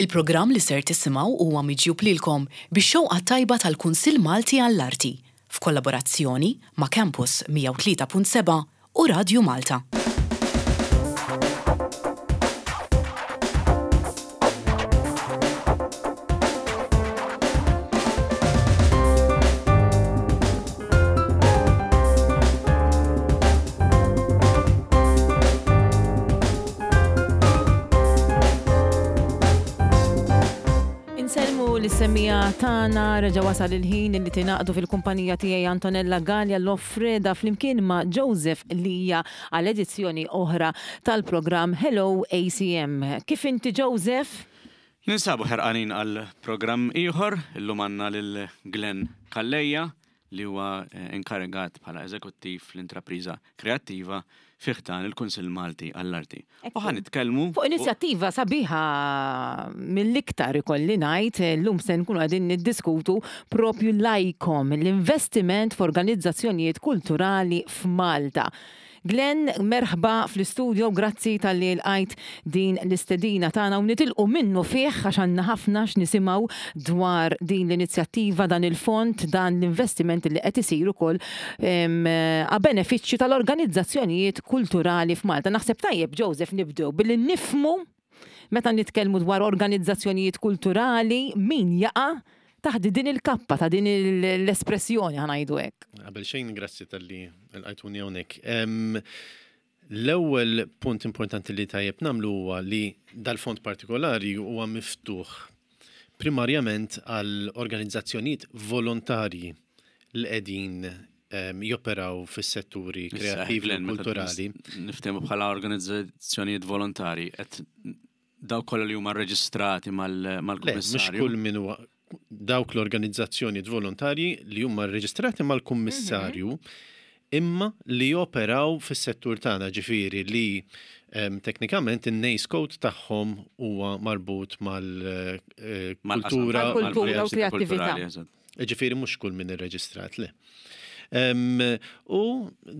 Il-programm li ser tisimgħu huwa miġjub lilkom bix-xewqa t-tajba tal-Kunsill Malti għall-Arti, f'kollaborazzjoni ma' Campus 103.7 u Radju Malta. Insellmu lis-semmiegħa tagħna, reġa' wasal il-ħin li tingħaqdu fil-kumpanija tiegħi Antonella Galea Loffreda flimkien ma' Joseph Lija għal edizzjoni oħra tal-programm Hello ACM. Kif inti Joseph? Ninsabu ħerqanin għal programm ieħor, illum għandna lil Glenn Calleja li huwa inkarigat bħala eżekuttiv fl-intrapriża kreattiva fi ħdan il-Kunsill Malti għall-Arti. U ħa nitkellmu fuq inizjattiva sabiħa mill-iktar ikolli ngħid, illum se nkunu qegħdin niddiskutu propju l-ICOM, l-investiment f'organizzazzjonijiet kulturali f'Malta. Glenn, merħba fl-istudio, grazzi talli lqajt din l-istedina tagħna u nitilqu minnufih għax għandna ħafna x'nisimgħu dwar din l-inizjattiva, dan il-fond, dan l-investiment li qed isir ukoll a benefiċċju tal-organizzazzjonijiet kulturali f'Malta. Naħseb tajjeb, Joseph, nibdew billi nifhmu Meta nitkellmu dwar organizzazzjonijiet kulturali, min jaqa' taħt din il-kappa, ta' din l-espressjoni ħa ngħidu hekk? Qabel xejn grazzi talli lqajtuni hawnhekk. L-ewwel punt importanti li tajjeb nagħmlu huwa li dal-fond partikolari huwa miftuħ primarjament għal organizzazzjonijiet volontarji li qegħdin joperaw fis-setturi kreattivi u kulturali. Niftehmu bħala organizzazzjonijiet volontari qed dawk kollha li huma rreġistrati mal-kummissarju. Mhux kull min huwa dawk l-organizzazzjonijiet volontarji li huma rreġistrati mal-kummissarju mhm. imma li joperaw fis-settur tagħna ġifieri li teknikament in-NACE code tagħhom huwa marbut mal-kultura eh, u kreattività. Ġifieri mhux kull min irreġistrat, le. U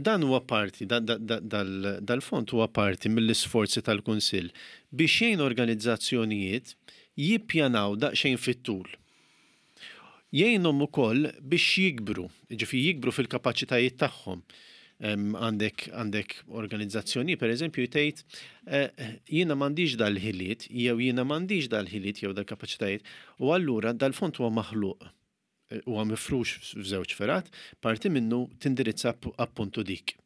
dan huwa parti, dal-fond huwa parti mill-isforzi tal-Kunsill biex jgħin organizzazzjonijiet jippjanaw daqsxejn fit-tul. Jgħinhom ukoll biex jikbru, jiġifieri jikbru fil-kapaċitajiet tagħhom. Għandek għandek organizzazzjoni pereżempju tgħid eh, jiena m'għandix dal-ħiliet jew jiena m'għandix dal-ħiliet jew dal-kapaċitajiet u allura dal-fond huwa maħluq eh, huwa mifrux f'żewġ fergħat, parti minnu tindirizza appuntu dik.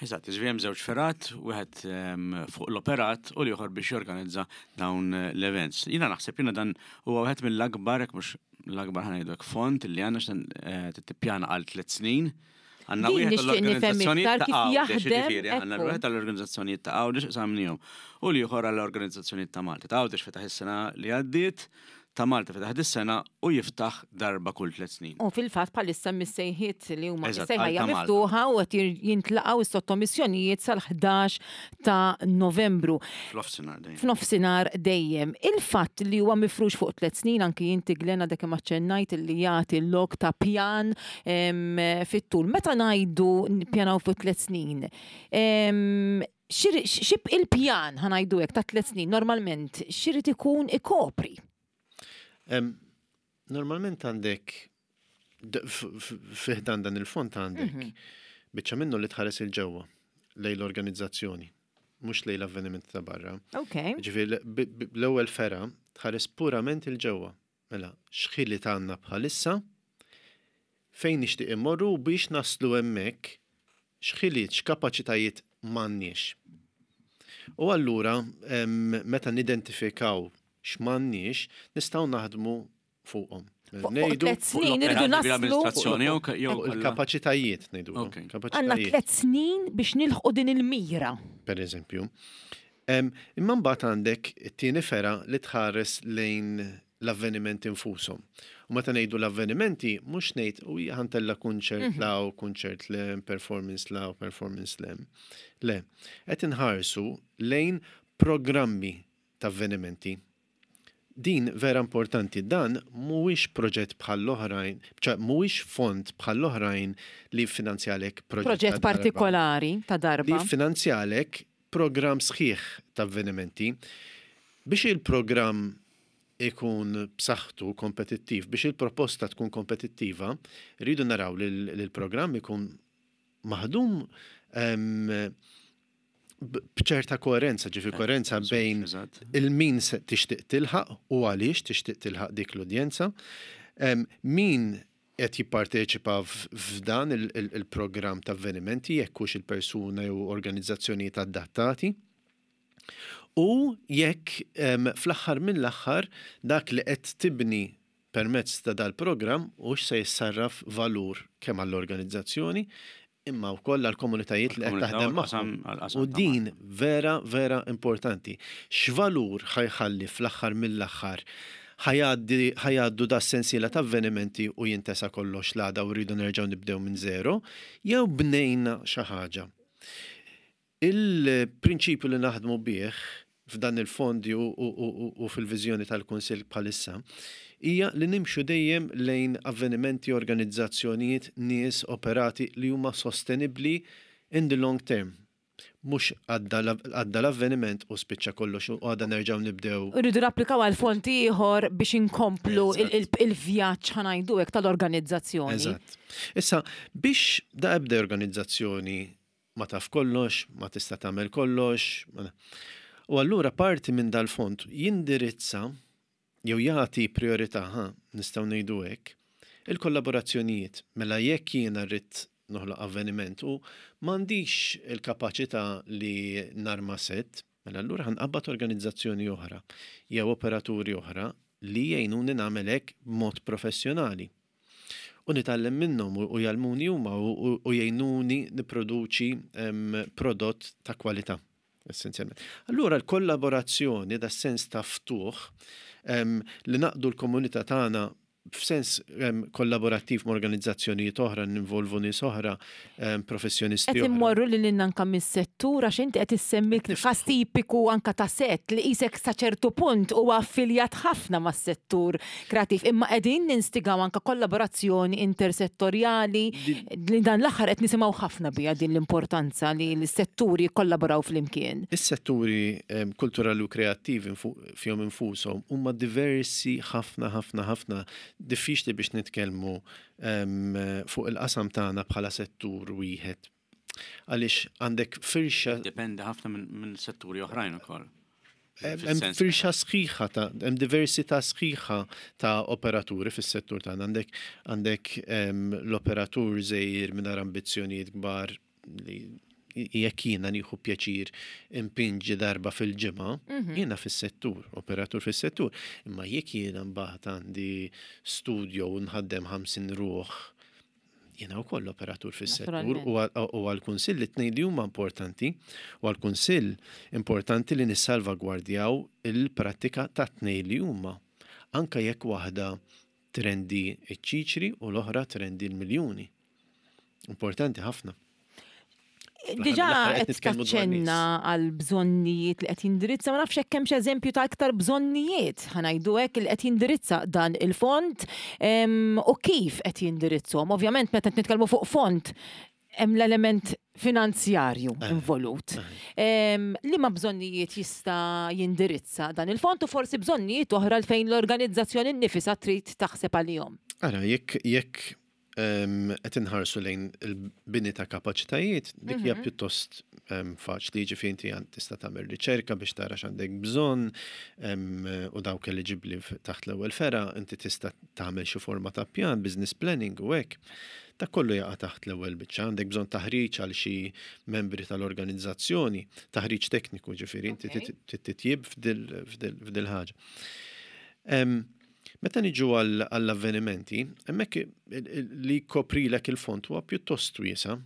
Eżatt, ġifieri hemm żewġ fergħat, wieħed ehm, fuq l-operat u l-ieħor biex jorganizza dawn l-events. Jiena naħseb jiena dan huwa wieħed mill-akbar, jekk mhux l-akbar ħanajdu hekk fond li għandna x'dan eh, tippjana għal tliet snin. Għandna Din wieħed nixtieq nifhem għall-organizzazzjonijiet iktar ta' kif Għawdex, jaħdem, jiġifieri għandna ekku. wieħed għall-organizzazzjonijiet ta' Għawdex qsamnihom u l-ieħor għall-organizzazzjonijiet ta' Malta. Ta' Għawdex fetaħ is-sena li għaddiet, ta' Malta fetaħ dis-sena u jiftaħ darba kull tliet snin. U fil-fatt bħalissa hemm is-sejħiet li huma Eżatt, is-sejħa għal hija ta' Malta. miftuħa u qed jintlaqgħu s-sottomissjonijiet sal-11 ta' Novembru. F'nofsinhar dejjem. F'nofsinhar dejjem. Il-fatt li huwa mifrux fuq tliet snin, anki inti Glenn għadek kemm aċċennajt li jagħti lok ta' pjan fit-tul. Meta ngħidu nippjanaw fuq tliet snin, xi il-pjan ħa ngħidu hekk ta' tliet snin normalment x'irid ikun ikopri? Normalment għandek fi ħdan dan il-fond għandek mhm. biċċa minnu li tħares il-ġewwa lejn l-organizzazzjoni, mhux lejn l-avvenimenti ta' barra. Ġifieri l-ewwel fera tħares purament il-ġewwa. Mela, x'ħiliet għandna bħalissa, fejn nixtieq immorru u biex naslu hemmhekk x'ħiliet, x'kapaċitajiet m'għandniex. U allura meta nidentifikaw x'm'għandniex, nistgħu naħdmu fuqhom. Fuq tlet snin irridu naslu. L-amministrazzjoni jew il-kapaċitajiet ngħidu. Għandna tlet snin biex nilħqu din il-mira. Per eżempju. Imma mbagħad għandek it-tieni fergħa li tħares lejn l-avvenimenti nfushom. U meta ngħidu l-avvenimenti, mhux ngħid u hija ħantella kunċert mhm. law, kunċert lem, performance law, performance lem. Le, qed inħarsu lejn programmi ta' avvenimenti. Din vera importanti, dan mhuwiex proġett bħall-oħrajn, ċa mhuwiex fond bħall-oħrajn li jiffinanzjalek proġett ta' Proġett partikolari ta' darba. Li jiffinanzjalek programm sħiħ ta' avvenimenti. Biex il-programm ikun b'saħħtu kompetittiv, biex il-proposta tkun kompetittiva, rridu naraw li l-programm ikun maħdum b'ċerta koerenza, ġifi koerenza bejn il-min se tixtieq tilħaq u għaliex tixtieq tilħaq dik l-udjenza, min qed jipparteċipa f'dan il-programm ta' avvenimenti jekk hux il-persuna jew organizzazzjonijiet adattati. U jekk fl-aħħar mill-aħħar dak li qed tibni permezz ta' dal-programm hux se jissarraf valur kemm għall-organizzazzjoni imma wkoll għall-komunitajiet li qed taħdem magħhom. U din vera vera importanti. X'valur ħa jħalli fl-aħħar mill-aħħar ħa jgħaddu da sensiela ta' avvenimenti u jintesa kollox l-għada u rridu nerġgħu nibdew minn zero, jew bnejna xi ħaġa. Il-prinċipju li naħdmu bih f'dan il-fondi u fil-viżjoni tal-Kunsill bħalissa hija li nimxu dejjem lejn avvenimenti, organizzazzjonijiet, nies, operati li huma sostenibbli in the long term. Mhux għadda l-avveniment u spiċċa kollox u għada nerġgħu nibdew. Irridu napplikaw għal fond ieħor biex inkomplu il-vjaġġ ħa ngħidu hekk tal-organizzazzjoni. Eżatt. Issa biex da ebda organizzazzjoni ma taf kollox, ma tista' tagħmel kollox. U allura parti minn dal-fond jindirizza jew jagħti priorità, ha, nistgħu ngħidu hekk, il-kollaborazzjonijiet. Mela jekk jiena rrid noħloq avveniment u m'għandix il-kapaċità li narma set, mela allura ħa nqabbad organizzazzjoni oħra jew operaturi oħra li jgħinuni nagħmel hekk b'mod professjonali. U nitgħallem minnhom u jgħallmuni huma u jgħinuni nipproduċi prodott ta' kwalità, essenzjalment. Allura l-kollaborazzjoni, da sens ta' ftuħ, li naqdu l-komunità tagħna f'sens kollaborattiv ma' organizzazzjonijiet oħra, ninvolvu nies oħra, professjonisti. Qed immorru lil hinn anke mis-settur għax inti qed issemmi każ tipiku anke ta' sett li qisek sa ċertu punt huwa affiljat ħafna mas-settur kreattiv imma qegħdin ninstigaw anke kollaborazzjoni intersettorjali li dan l-aħħar qed nisimgħu ħafna biha din l-importanza li l-setturi jikkollaboraw flimkien. Is-setturi kulturali u kreattivi fihom infushom huma diversi ħafna ħafna ħafna diffiċli biex nitkellmu fuq il-qasam tagħna bħala settur wieħed. Għaliex għandek firxa. Dipendi ħafna minn setturi oħrajn ukoll. Hemm firxa sħiħa ta' hemm diversità sħiħa ta' operaturi fis-settur tagħna. Għandek għandek l-operatur żgħir mingħajr ambizzjonijiet kbar li jekk jiena nieħu pjaċir impinġi darba fil-ġimgħa, mhm. jiena fis-settur, operatur fis-settur. Imma jekk jiena mbagħad għandi studio u nħaddem 50 ruħ, jiena wkoll operatur fis-settur u għall-Kunsill it-tnejn li huma importanti u għall-Kunsill importanti li nissalvagwardjaw il-prattika ta' tnejn li huma. Anka jekk waħda trendi ċ-ċiċri u l-oħra trendi l-miljuni. Importanti ħafna. Diġà qed taċċenna għal bżonnijiet li qed jindirizza, ma nafx hekk hemmx eżempju ta' iktar bżonnijiet, ħa ngħidu hekk li qed jindirizza dan il-fond u kif qed jindirizzhom. Ovvjament meta qed nitkellmu fuq fond hemm l-element finanzjarju eh. involut. Eh. Liema bżonnijiet jista' jindirizza dan il-fond u forsi bżonnijiet oħra fejn l-organizzazzjoni nnifisha trid taħseb għalihom. Ara, jekk jekk qed inħarsu lejn il-bini ta' kapaċitajiet, dik hija mhm. pjuttost faċli, ġifieri inti tista' tagħmel riċerka biex tara x'għandek bżonn u dawk eliġibbli taħt l-ewwel fera, inti tista' tagħmel xi forma ta' pjan, business planning u hekk. Dak kollu jaqa' taħt l-ewwel biċċa. Għandek bżonn taħriġ għal xi membri tal-organizzazzjoni, taħriġ tekniku ġifieri inti titjib f'dil ħaġa. Meta niġu għall-avvenimenti, hemmhekk li jkoprilek il-fond huwa pjuttost wiesa'.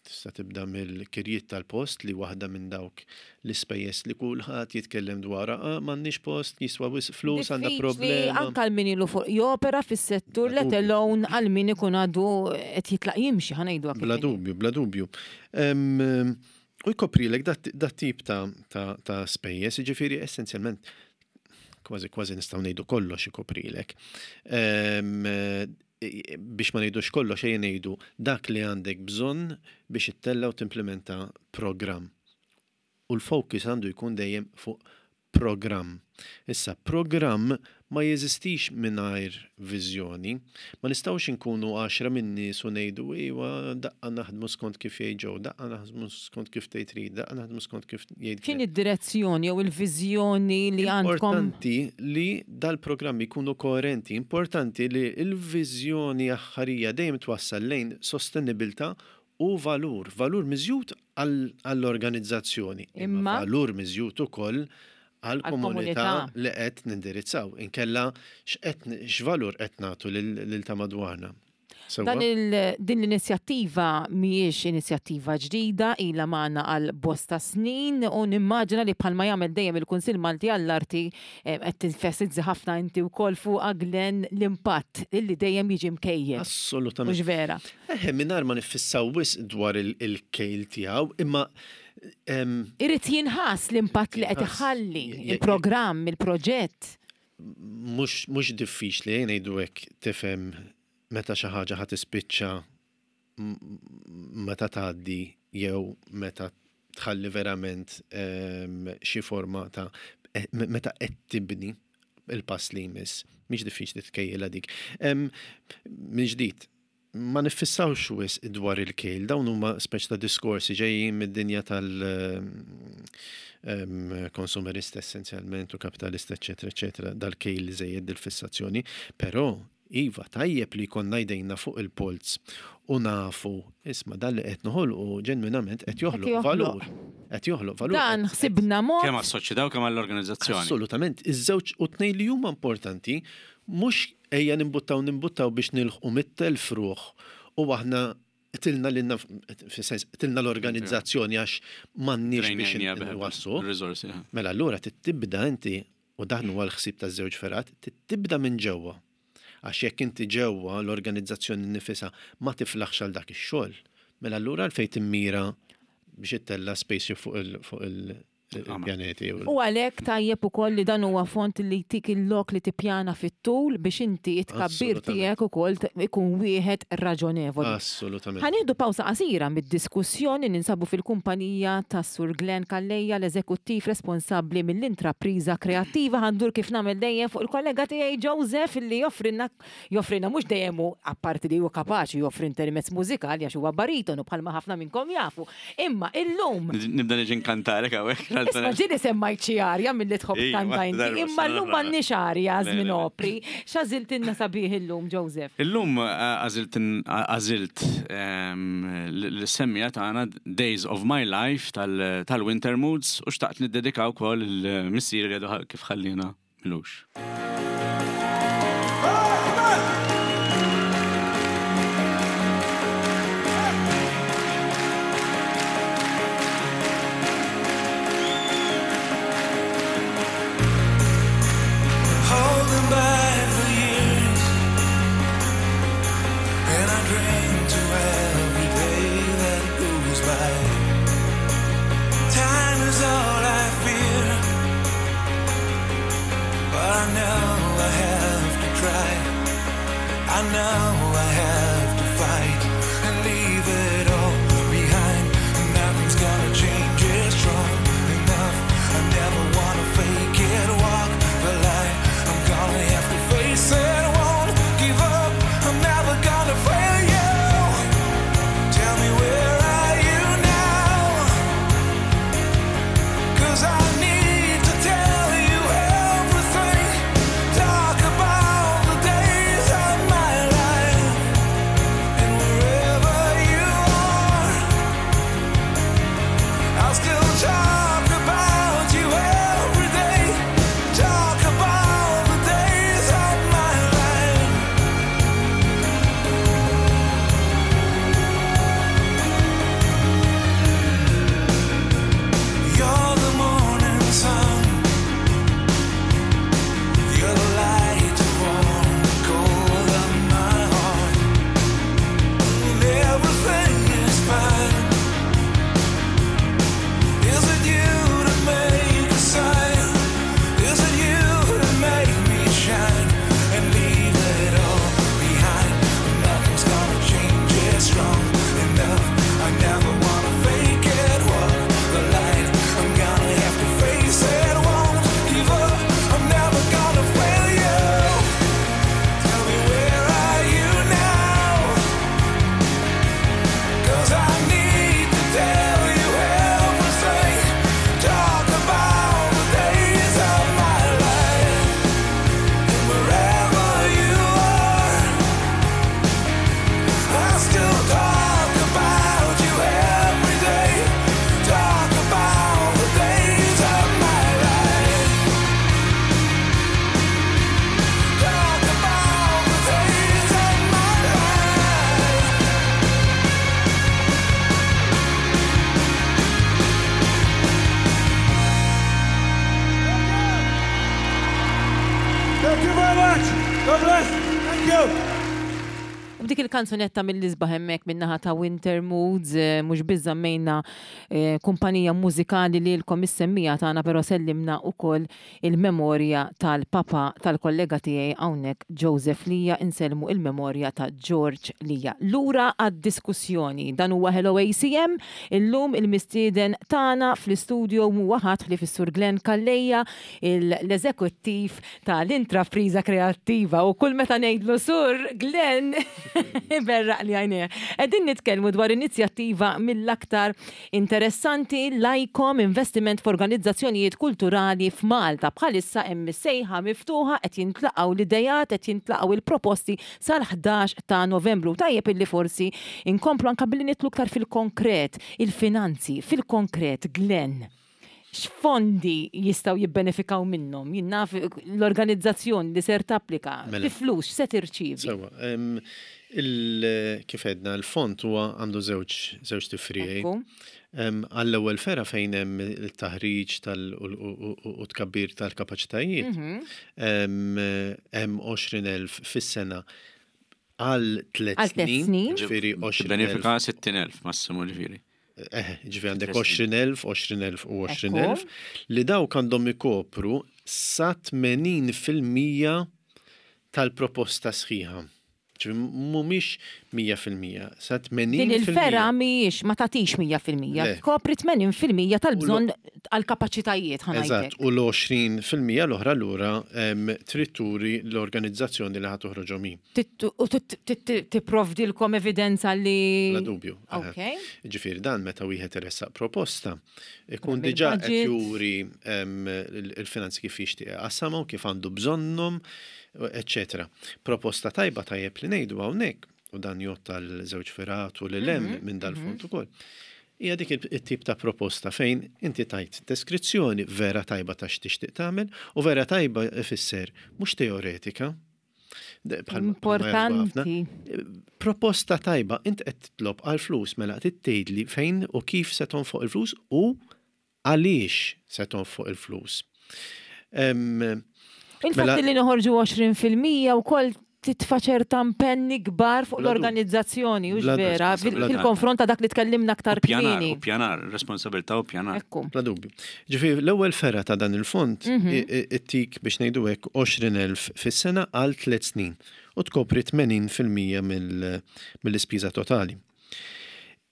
Tista' tibda mill-kirjiet tal-post li waħda minn dawk l-ispejjeż li kulħadd jitkellem dwarha, ah m'għandniex post, jiswa wisq flus, għandna problema. Anke għal min ilu fuq jopera fis-settur, let alone għal min ikun għadu qed jitlaq jimxi, ħa ngħidu hekk. Bla dubju, bla dubju. U jkoprilek dat-tip ta' spejjeż, jiġifieri essenzjalment kważi kważi nistgħu ngħidu kollox ikoprilek. Biex ma ngħidux kollox ejja ngħidu dak li għandek bżonn biex ittella' u timplementa programm. U l-focus għandu jkun dejjem fuq programm. Issa, programm ma jeżistix mingħajr viżjoni. Ma nistgħux inkunu għaxra min-nies u ngħidu iwa daqqa naħdmu skont kif jgħid Joe, daqqa naħdmu skont kif tgħid Rita, daqqa naħdmu skont kif jgħid X'inhi d-direzzjoni jew il-viżjoni li għandkom? Importanti li dal-programmi jkunu koerenti, importanti li l-viżjoni aħħarija dejjem twassal lejn sostenibilità u valur, valur miżjud għall-organizzazzjoni, imma valur miżjud ukoll għall-komunità li qed nindirizzaw. Inkella x'qed x'valur qed nagħtu lil ta' madwarna. Dan il, din l-inizjattiva mhijiex inizjattiva ġdida, ilha magħna għal bosta snin u nimmaġina li bħalma jagħmel dejjem il-Kunsill Malti għall-Arti qed tinfesizzi ħafna inti wkoll fuqha Glenn l-impatt illi dejjem jiġi mkejjel. Assolutament. Mhux vera? Eħe, mingħajr ma niffissaw wisq dwar il-kejl tiegħu, imma Irid jinħass l-impatt li qed iħalli il-programm, il-proġett. Mhux diffiċli, ejja ngħidu hekk, tifhem meta xi ħaġa ħa tispiċċa meta tgħaddi jew meta tħalli verament xi forma ta' meta qed tibni il-pass li jmiss. Mhix diffiċli tkejjilha dik. Minn ġdid, ma niffissawx wisq dwar il-kejl, dawn huma speċi ta' diskorsi ġejjin mid-dinja tal-konsumerista essenzjalment u kapitalista, eċetera, eċetera, dal-kejl żejjed dil-fissazzjoni, però iva tajjeb li jkollna jdejna fuq il-polz u nafu, isma' dan li qed noħolqu ġenwinament qed joħloq valur. Qed joħloq valur. Dan ħsibna mod. Kemm għas-soċjetà u kemm għall-organizzazzjoni. Assolutament, iż-żewġ u tnejn li huma importanti mhux Ejja nimbuttaw nimbuttaw biex nilħqu 100,000 ruħ u aħna qtilna lilna fis-sens qtilna l-organizzazzjoni għax m'għandniex biex inwasslu. Mela allura trid tibda inti u dan huwa l-ħsieb taż-żewġ fergħat, trid tibda minn ġewwa. Għax jekk inti ġewwa l-organizzazzjoni nnifisha ma tiflaħx għal dak ix-xogħol, mela allura għalfejn timmira biex ittella' spaceship fuq il il-pjaneti. U għalhekk tajjeb ukoll li dan huwa fond li jtik il-lok li tippjana fit-tul biex inti it-tkabbir tiegħek ukoll ikun wieħed raġonevoli. Assolutament. Ħa nieħdu pawsa qasira mid-diskussjoni ninsabu fil-kumpanija tas-Sur Glenn Calleja l-eżekuttiv responsabbli mill-intrapriża kreattiva. Ħa ndur kif nagħmel dejjem fuq il-kollega tiegħi Joseph li joffrilna Joffrilna mhux dejjem hu, apparti li hu kapaċi joffri intermezz mużikali għax huwa baritonu bħalma ħafna minnkom jafu, imma illum. Nibda niġi nkantalek hawnhekk. Isma' ġieli semmajt xi arja milli tħobb tkanta inti, imma llum m'għandniex arja żmien opri. X'għażiltilna sabiħ illum, Joseph? Illum għażilt għażilt lis-semmiegħa tagħna Days of My Life tal-Winter Moods u xtaqt niddedika wkoll lil missieri li għadu kif ħalliena. Milux. Holding back the years, and I drink to every day that goes by. Time is all I fear, but I know I have to try. I know I have to fight and leave it all behind. Nothing's gonna change it strong enough. I never wanna fake it, walk the line. I'm gonna have to face it, won't give up. I'm never gonna fail you. Tell me where are you now? 'Cause I need to tell you everything. Talk about the days of my life. Thank you very much. God bless. Thank you. U b'dik il-kanzunetta mill-isbaħ hemmhekk min-naħa ta' Winter Moods, eh, mhux biss żammejna eh, kumpanija mużikali lilkom is-semmija tagħna però sellimna wkoll il-memorja tal-papa tal-kollega tiegħi hawnhekk Joseph Lija insellmu il-memorja ta' George Lija. Lura għad-diskussjoni. Dan huwa Hello ACM, illum il-mistieden tagħna fl-istudio mhuwa ħadd ħlief is-Sur Glenn Calleja, l-eżekuttiv tal-intrapriża kreattiva u kull meta ngħidlu Sur Glenn iberraqli għajnejh. Qegħdin nitkellmu dwar inizjattiva mill-aktar interessanti l-ICOM, Investiment f'Organizzazzjonijiet Kulturali f'Malta. Bħalissa hemm is-sejħa miftuħa qed jintlaqgħu l-ideat, qed jintlaqgħu il-proposti sal-11 ta' Novembru. Tajjeb illi forsi inkomplu anke billi nidħlu iktar fil-konkret, il-finanzi, fil-konkret, Glenn. X'fondi jistgħu jibbenefikaw minnhom? Jien naf l-organizzazzjoni li ser tapplika, fi flus x'se tirċievi? Sewwa, kif għedna l-fond huwa għandu żewġ żewġ tifriegħi. Għall-ewwel fergħa fejn hemm it-taħriġ u tkabbir tal-kapaċitajiet, hemm 20,000 fis-sena għal tliet snin, ġifieri 20,000. Tibbenefika 60,000 massimu ġifieri. Eh, ġifieri għandek 20,000, 20,000 u 20,000 li dawk għandhom ikopru sa 80% tal-proposta sħiħa. Ġifieri mhumiex 100%, sa 80%. Din il-fergħa mhijiex ma tagħtix 100%, tkopri 80% tal-bżonn għall-kapaċitajiet ħa ngħidlek. Eżatt, u l-20% l-oħra lura trid turi l-organizzazzjoni li ħa toħroġhom hi. U tipprovdilkom evidenza li. Bla dubju. Ok. Ġifieri dan meta wieħed iressaq proposta, ikun diġà qed juri l-finanzi kif jixtieq iqassamhom, kif għandu bżonnhom, eċċetera. Proposta tajba tajjeb li ngħidu hawnhekk, u dan jgħodd għal żewġ fergħat u lil hemm minn dal-fond ukoll, hija dik it-tip ta' proposta fejn inti tajt deskrizzjoni vera tajba ta' x'tixtieq tagħmel u vera tajba ifisser mhux teoretika. Importanti. Proposta tajba, int qed titlob għal flus mela qed tgħidli fejn u kif se tonfoq il-flus u għaliex se tonfoq il-flus. Il-fatt mela li noħorġu 20% wkoll titfa' ċerta impenni kbar fuq l-organizzazzjoni, hux vera, fil-konfront ta' dak li tkellimna aktar kmieni. U pjanar, responsabilità u pjanar. Ekku. Bla dubju. Ġifieri l-ewwel fergħa ta' dan il-fond ittik biex ngħidu hekk 20,000 fis-sena għal tliet snin u tkopri 80% mill-ispiża totali.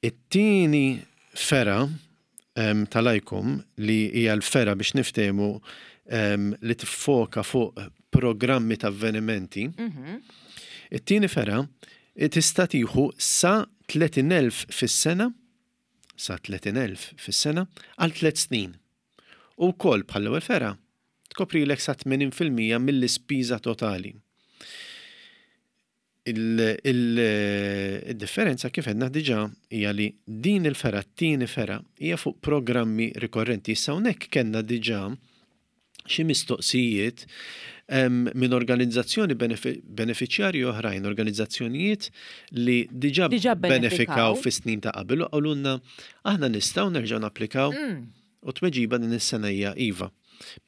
It-tieni fergħa tal-ICOM li hija l-fergħa biex niftehmu li tiffoka fuq programmi ta' avvenimenti. It-tieni fergħa tista' tieħu sa 30,000 fis-sena sa 30,000 fis-sena għal tliet snin. U wkoll bħall-ewwel fergħa tkoprilek sa 80% mill-ispiża totali. Il-differenza kif għedna diġà hija li din il-fergħa, t-tieni fergħa, hija fuq programmi rikorrenti. Issa hawnhekk kellna diġà xi mistoqsijiet minn organizzazzjoni benefiċjarji oħrajn, organizzazzjonijiet li diġà benefikaw fis-snin ta' qabel u qalulna aħna nistgħu nerġgħu napplikaw. U t-tweġiba din is-sena hija iva.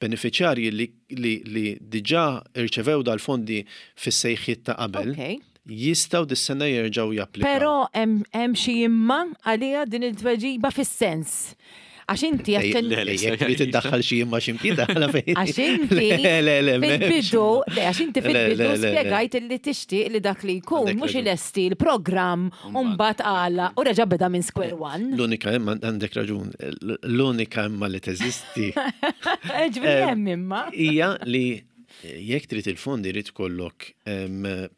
Benefiċjarji li, li, li diġà rċevew dal-fondi fis-sejħiet ta' qabel okay. jistgħu dis-sena jerġgħu japplikaw. Però hemm xi imma għaliha din il-tweġiba fis-sens. Għax inti Jekk trid iddaħħal xi imma xi mkien daħħalha fejn. Għax inti fil-bidu, le għax inti fil-bidu spjegajt li tixtieq li dak li jkun mhux ilesti l-programm u mbagħad għala u reġa' beda minn square one. L-unika imma għandek raġun, l-unika imma li teżisti. Ġifieri hemm imma. Hija li jekk trid il-fondi jrid ikollok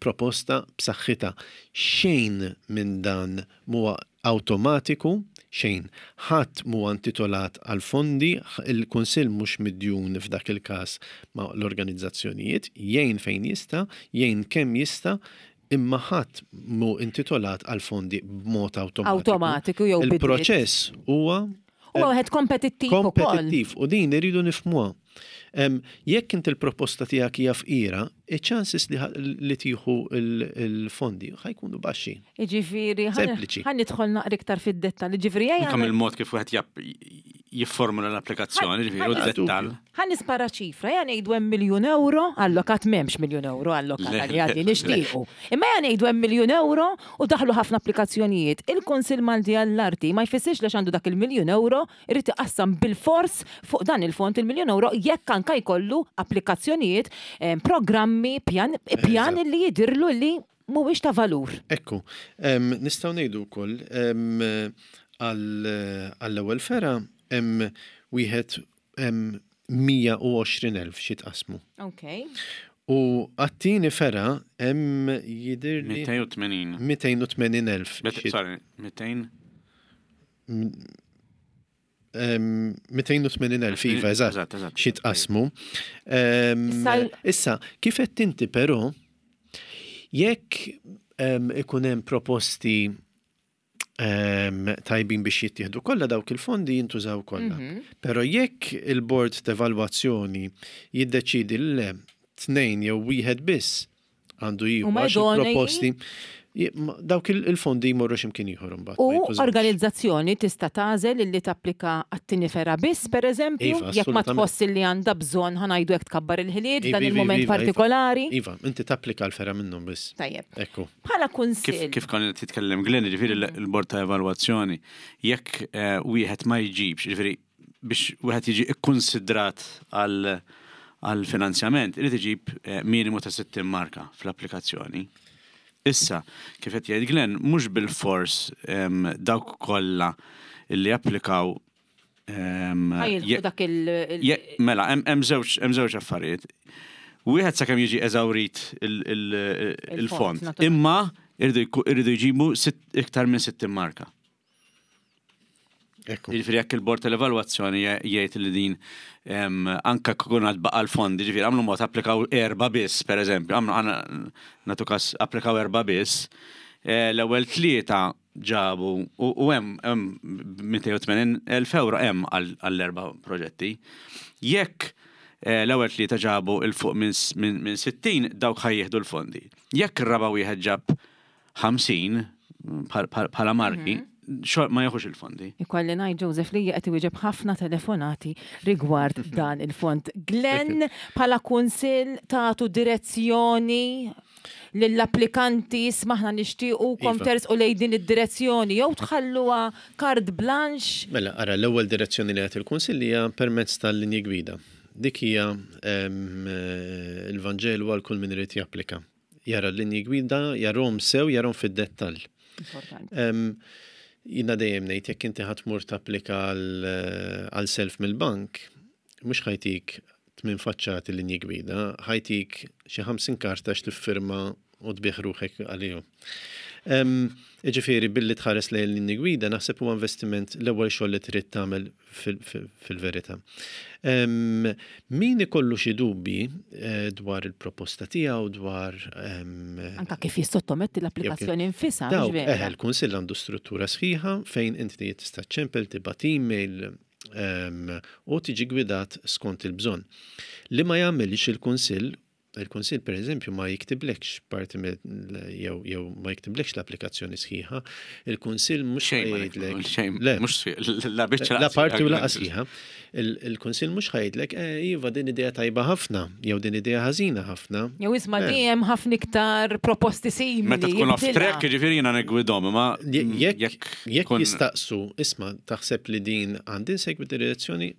proposta b'saħħitha. Xejn minn dan m'huwa awtomatiku, xejn. Ħadd m'huwa intitolat għal fondi, il-Kunsill mhux midjun f'dak il-każ ma' l-organizzazzjonijiet, jgħin fejn jista', jgħin kemm jista', Imma ħadd mhu intitolat għal fondi b'mod awtomatiku. Awtomatiku jew bi dritt. Il-proċess huwa Huwa wieħed kompetittiv ukoll. Kompetittiv u din irridu nifhmuha. Jekk inti l-proposta tiegħek hija fqira, iċ-chances li tieħu l-fondi ħa jkunu baxxi. Jiġifieri, Sempliċi. ħa nidħol naqra iktar fid-dettall. Jiġifieri ejja. Anke mill-mod kif wieħed jifformula l-applikazzjoni, ġifieri u d-dettall. Ħa nispara ċifra, ja ngħidu hemm miljun euro allokat m'hemmx miljun euro allokat għal għadni nixtiequ. Imma ja ngħidu hemm miljun euro u daħlu ħafna applikazzjonijiet. Il-Kunsill Malti għall-Arti ma jfissirx li għandu dak il-miljun euro irid iqassam bilfors fuq dan il-fond il-miljun euro jekk anka jkollu applikazzjonijiet, eh, programmi, pjan, pjan li jidirlu li mhuwiex ta' valur. Ekku, nistgħu ngħidu wkoll għall-ewwel fergħa hemm wieħed hemm 120,000 xi tqassmu. Ok. U għat-tieni fergħa hemm jidhirli 280. 280,000. Sorry, 200. 280,000 iva, eżatt, xi tqassmu. Issa, kif qed inti però, jekk ikun hemm proposti tajbin biex jittieħdu kollha dawk il-fondi jintużaw kollha. Mhm. Però jekk il-bord t'evalwazzjoni jiddeċidi le tnejn jew wieħed biss għandu jieħu Huma għax idonei? il-proposti dawk il-fondi jmorru x'imkien ieħor imbagħad. ma U jintużawx. organizzazzjoni tista' tagħżel illi tapplika għat-tieni fergħa biss, pereżempju, Iva, jekk ma assolutament. tħoss illi għandha bżonn ħa ngħidu hekk tkabbar il-ħiliet Iva, f'dan iva, il-mument iva, iva. partikolari. Iva, inti tapplika l-fergħa minnhom biss. Tajjeb. Ekku. Bħala Kif, kunsill. kif kan titkellem Glenn, ġifieri l-bord ta' evalwazzjoni, jekk eh, wieħed ma jġibx, ġifieri biex wieħed jiġi ikkonsidrat għal għal finanzjament, irid iġib eh, minimu ta' 60 marka fl-applikazzjoni. Issa, kif qed jgħid Glenn, mhux bil-fors dawk kollha li applikaw Ħajilħqu dak il- Mela, hemm żewġ affarijiet. Wieħed sakemm jiġi eżawrit il-fond. Imma irridu jġibu iktar minn 60 marka. Jiġifieri jekk il-bord tal-evalwazzjoni jgħid li din anka kun għad baqa' l-fondi, jiġifieri għamlu mod applikaw erba' biss, pereżempju, għamlu għana nagħtu każ applikaw erba' biss, eh, l-ewwel tlieta ġabu u hemm 280,000 euro hemm għall-erba' proġetti. Jekk eh, l-ewwel tlieta ġabu il fuq minn 60 dawk ħajjieħdu l-fondi. Jekk ir-raba' wieħed ġab 50 bħala marki, mhm. xor ma jieħux il-fondi. Ikolli ngħid Joseph li qed iwieġeb ħafna telefonati rigward dan il-fond. Glenn bħala kunsill tagħtu direzzjoni lill-applikanti smaħna nixtiequkom iva. tersqu lejn din id-direzzjoni jew tħalluha carte blanche. Mela, ara l-ewwel direzzjoni li qed il-kunsill hija permezz tal-linji gwida. Dik hija eh, il-Vanġelu għal kull min irid japplika. Jara l-linji gwida, jarhom sew, jarhom fid-dettall. Jina dejjem ngħid jekk inti ħa tmur tapplika għal self mill-bank, mhux ħajtik tmien faċċati linji gwida, ħajtik xi 50 karta x'tiffirma u tbigħ ruħek għalihom. Jiġifieri billi tħares lejn linji gwida naħseb huwa investiment l-ewwel xogħol li trid tagħmel fil-verità. Min ikollu xi dubji eh, dwar il-proposta tiegħu dwar Anka kif jissottometti l-applikazzjoni nfisha. Dawk, eh, il-Kunsill għandu struttura sħiħa fejn inti tista' ċempel tibgħat email u tiġi gwidat skont il-bżonn. Li ma jagħmilx il-Kunsill Il-Kunsill pereżempju ma jiktiblekx parti jew jew ma jiktiblekx l-applikazzjoni sħiħa. Il-Kunsill mhux jgħidlek. Le, mhux la biċċa. La parti u laqas sħiħa. Il-Kunsill mhux ħajdlek, eh, iva din idea tajba ħafna, jew din idea ħażina ħafna. Jew isma' eh. dejjem ħafna iktar proposti simili. Meta tkun off track, ġifieri jiena negwidhom, imma jekk jekk jistaqsu, isma' taħseb li din għandi nsegwi direzzjoni,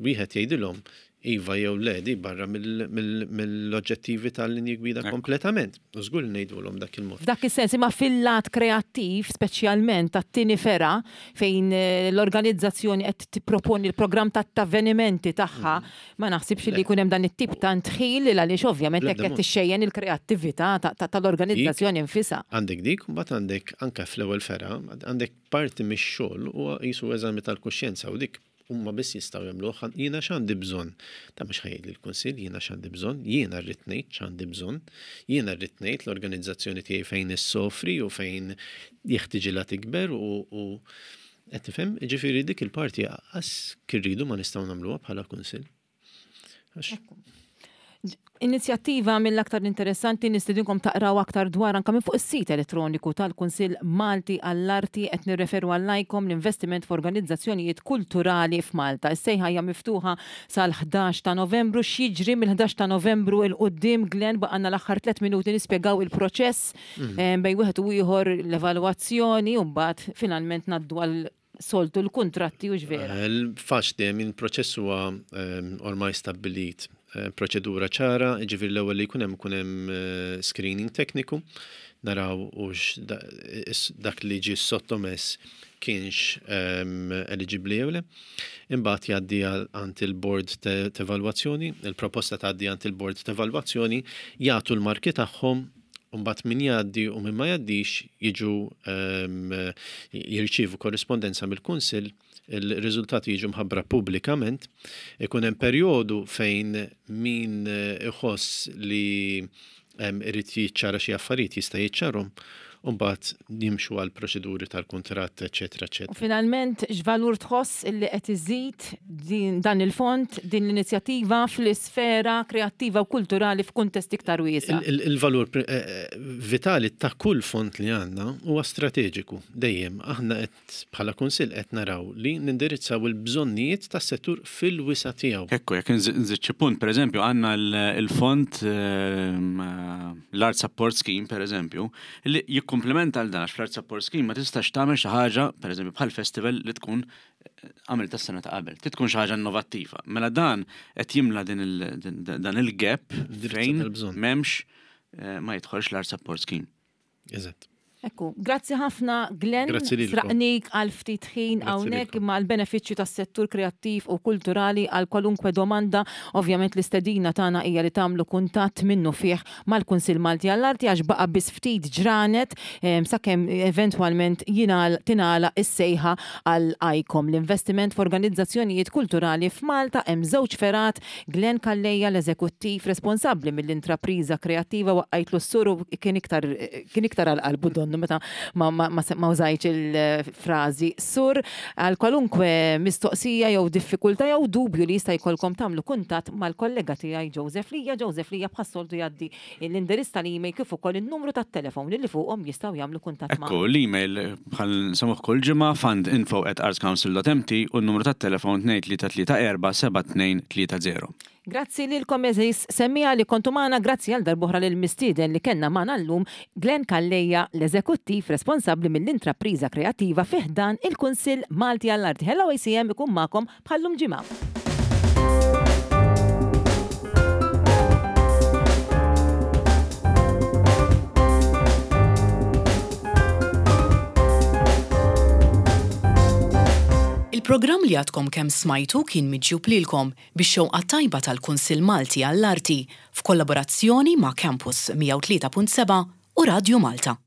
wieħed jgħidilhom Iva jew le, di barra mill-oġġettivi tal-linji gwida kompletament. U żgur li ngħidulhom dak il-mod. F'dak is-sens, imma fil-lat kreattiv, speċjalment tat-tieni fergħa, fejn l-organizzazzjoni qed tipproponi l-programm tat-avvenimenti tagħha, ma naħsibx li jkun hemm dan it-tip ta' ndħil għaliex ovvjament hekk qed tixxejjen il-kreattività tal-organizzazzjoni nfisha. Għandek dik, u mbagħad għandek anke fl-ewwel fergħa, għandek parti mix-xogħol huwa qisu eżami tal-kuxjenza u dik Huma biss jistgħu jagħmluh, jiena x'għandi bżonn? Dan mhux ħa jgħidli l-Kunsill jiena x'għandi bżonn, jiena rrid ngħid x'għandi bżonn, jiena rrid ngħid l-organizzazzjoni tiegħi fejn issofri u fejn jeħtiġilha tikber u u qed tifhem? Jiġifieri dik il-parti qas kirridu ma nistgħu nagħmluha bħala Kunsill. Inizjattiva mill-aktar interessanti nistedinkom taqraw aktar dwar anka minn fuq is-sit elettroniku tal-Kunsill Malti għall-Arti qed nirreferu għall-ICOM l-investiment f'organizzazzjonijiet kulturali f'Malta. Is-sejħa hija miftuħa sal-11 ta' Novembru. X'jiġri mill-11 ta' Novembru 'l quddiem Glenn baqgħalna l-aħħar tlett minuti nispjegaw il-proċess bejn wieħed u ieħor l-evalwazzjoni u mbagħad finalment ngħaddu għal soltu l-kuntratti hux vera? Faċli, I mean, proċess huwa ormai stabbilit. Proċedura ċara, jiġifieri l-ewwel li jkun hemm ikun hemm screening tekniku, naraw hux dak li ġie sottomess kienx eligibbli jew le. Imbagħad jgħaddi għand il-board t'evalwazzjoni, il-proposta tgħaddi għand il-board t'evalwazzjoni, jagħtu l-marki tagħhom u mbagħad min jgħaddi u min ma jgħaddix jiġu jirċievu korrispondenza mill-Kunsill, il-riżultati jiġu mħabbra pubblikament, ikun hemm perjodu fejn min iħoss li irid jiċċara xi affarijiet jista' jiċċarhom u mbagħad jimxu għal proċeduri tal-kuntratt, eċċetera, eċċetera. U finalment, x'valur tħoss illi qed iżid din, dan il-fond, din l-inizjattiva fl-isfera kreattiva u kulturali f'kuntest iktar wiesa'? Il-valur vitali ta' kull fond li għandna huwa strateġiku dejjem. Aħna qed bħala Kunsill qed naraw li nindirizzaw il-bżonnijiet tas-settur fil-wisa' tiegħu. Ekku, jekk nżid xi punt, pereżempju, għandna l-fond l-Art Support Scheme, pereżempju, li jikkumplementa għal dan, għax fl-Art Support Scheme ma tistax tagħmel xi ħaġa, pereżempju, bħal festival li tkun għamilta s-sena ta' qabel. Trid tkun xi ħaġa innovattiva. Mela dan qed jimla dan il-gap fejn m'hemmx ma jidħolx l-Art Support Scheme. Eżatt. Ekku, grazzi ħafna Glenn, sraqnik għal ftit ħin hawnhekk imma għall-benefiċċju tas-settur kreattiv u kulturali għal kwalunkwe domanda, ovvjament l-istedina tagħna hija li tagħmlu kuntatt minnufih mal-Kunsill Malti għall-Arti għax baqa' biss ftit ġranet sakemm eventwalment tingħalaq is-sejħa għal ICOM, l-investiment f'organizzazzjonijiet kulturali f'Malta. Hemm żewġ fergħat Glenn Calleja, l-eżekuttiv responsabbli mill-intrapriża kreattiva waqqajtlu s-sur u kien iktar kien iktar għal qalbu donnu meta ma ma ma użajtx il-frażi sur. Għal kwalunkwe mistoqsija jew diffikultà jew dubju li jista' jkollkom tagħmlu kuntatt mal-kollega tiegħi Joseph Lia. Joseph Lia bħas-soltu jgħaddi l-indirizz tal-email kif ukoll in-numru tat-telefon li fuqhom jistgħu jagħmlu kuntatt ma'. Ekku, l-email bħal nsemmuh kull ġimgħa fundinfo@artscouncil.mt u n-numru tat-telefon 2334 7230. Grazzi lilkom għeżież semmiegħa li kontu magħna, grazzi għal darb'oħra lill-mistieden li kellna magħna llum, Glenn Calleja, l-Eżekuttiv responsabbli mill-Intrapriża Kreattiva fi ħdan il-Kunsill Malti għall-Arti. Hello ACM ikun magħkom bħal-lum ġimgħa. Il-programm li għadkom kemm smajtu kien miġjub lilkom bix-xewqa t-tajba tal-Kunsill Malti għall-Arti f'kollaborazzjoni ma' Campus 103.7 u Radju Malta.